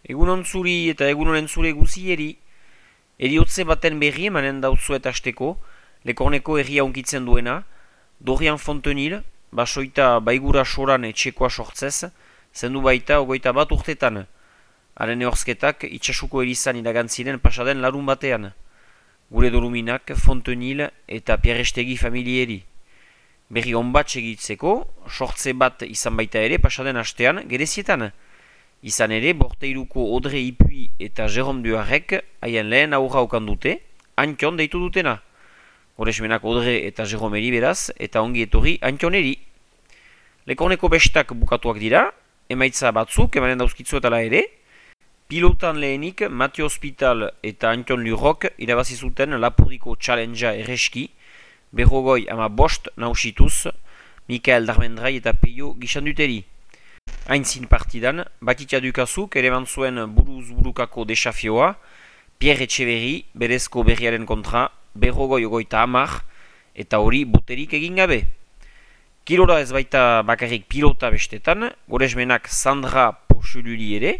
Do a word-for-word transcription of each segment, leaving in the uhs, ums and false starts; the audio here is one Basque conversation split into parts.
Egunon zuri eta egunonen zure guzieri, eriotze baten berri emanen dautzuet hasteko, Lekorneko herria unkitzen duena, Dorian Fontenil, basoita baigura soran etxekoa sortzez, zendu baita ogoita bat urtetan. Haren ehorzketak itxasuko erizan iragantziren pasaden larun batean. Gure doluminak Fontenil eta Pierrestegi familieri. Berri onbat segitzeko, sortze bat izan baita ere pasaden hastean gerezietan. Izan ere, Borteiruko Odre Ipui eta Jerome Duarrek haien lehen aurra okan dute, Antion deitu dutena. Goresmenak Odre eta Jeromeri beraz, eta ongi etorri Antioneri. Lekorneko bestak bukatuak dira, emaitza batzuk emanen dauzkitzuetala ere, pilotan lehenik Mathieu Hospital eta Antion Lurrok irabazi zuten Lapurdiko Challengea erreski, berrogoi ama bost nausituz, Mikael Darmendrai eta Peio Gixanduteri. Aintzin partidan, Batitia Dukazuk ere mantzuen buruz burukako desafioa, Pierre Etxeberri berezko berriaren kontra, berrogoi ogoita hamar, eta hori boterik egin gabe. Kilora ez baita bakarrik pilota bestetan, goresmenak Sandra Porchululi ere,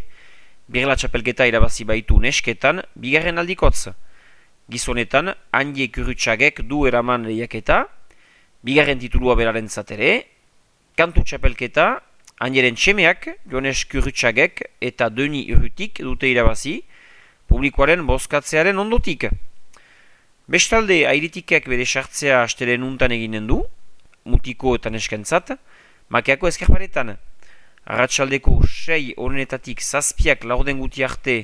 Birla txapelketa irabazi baitu nesketan, bigarren aldikotz. Gizonetan, Andie Kurutxagek du eraman lehiaketa, bigarren titulua beraren zatere, kantu txapelketa, Andieren txemeak, Jones Kurutxagek eta Deni Urrutik dute irabazi, publikoaren bozkatzearen ondotik. Bestalde, airitikak bere sartzea astelen untan eginen du, mutiko eta neskentzat, makeako eskerparetan. Arratsaldeko sei honetatik zazpiak laurden guti arte,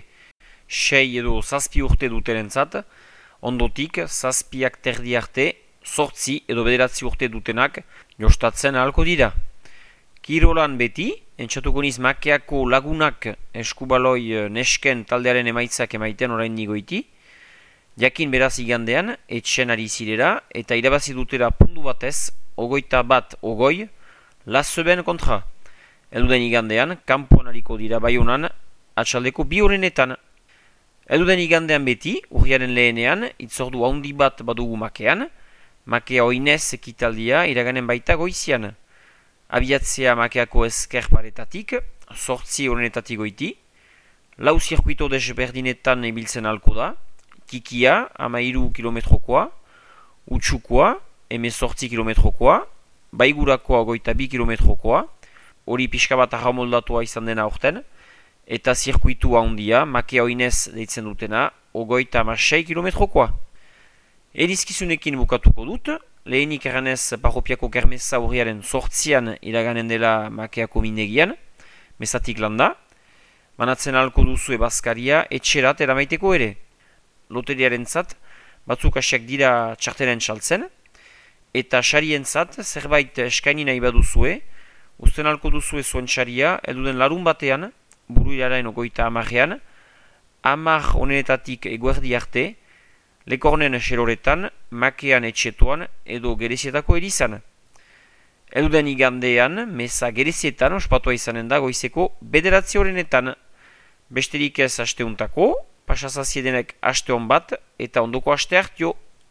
sei edo zazpi urte dutenentzat, ondotik zazpiak terdi arte, sortzi edo bederatzi urte dutenak jostatzen ahalko dira. Kirolan beti, entxatuko niz makeako lagunak eskubaloi nesken taldearen emaitzak emaiten orain nigoiti, jakin beraz igandean, etxen ari zirera, eta irabazi dutera pundu batez, ogoita bat ogoi, Laseben kontra. Elduden igandean, kanpoan hariko dira Baionan, atxaldeko bi horrenetan. Elduden igandean beti, urriaren lehenean, itzordu haundi bat badugu makean, makea oinez ekitaldia iraganen baita goizian. Abiatzea makeako eskerparetatik, sortzi horrenetatik goiti, lau zirkuito desberdinetan ibiltzen halko da, Kikia, amairu kilometrokoa, Utsukoa, eme sortzi kilometrokoa, Baigurakoa goita bi kilometrokoa, hori pixka bat arramoldatua izan dena orten, eta zirkuitu handia, makea oinez deitzen dutena, ogoita ama sei kilometrokoa. Erizkizunekin bukatuko dut, lehenik erranez parropiako kermeza hurriaren sortzian iraganen dela makeako mindegian, mezatik landa, banatzen halko duzu ebazkaria etxerat eramaiteko ere. Loteriaren zat, batzuk asiak dira txartelen txaltzen, eta xarien zat, zerbait eskaini nahi baduzue, usten halko duzue zuen xaria, elduden larun batean, buru irarain ogoita amarrean, amar honenetatik eguerdi arte, Lekornen xeroretan, makean etxetuan edo gerezietako erizan. Elduden igandean, meza gerezietan ospatua izanen da goizeko bederatzi horrenetan. Besterik ez asteuntako, pasazaziedenek aste hon bat eta ondoko aste hartio.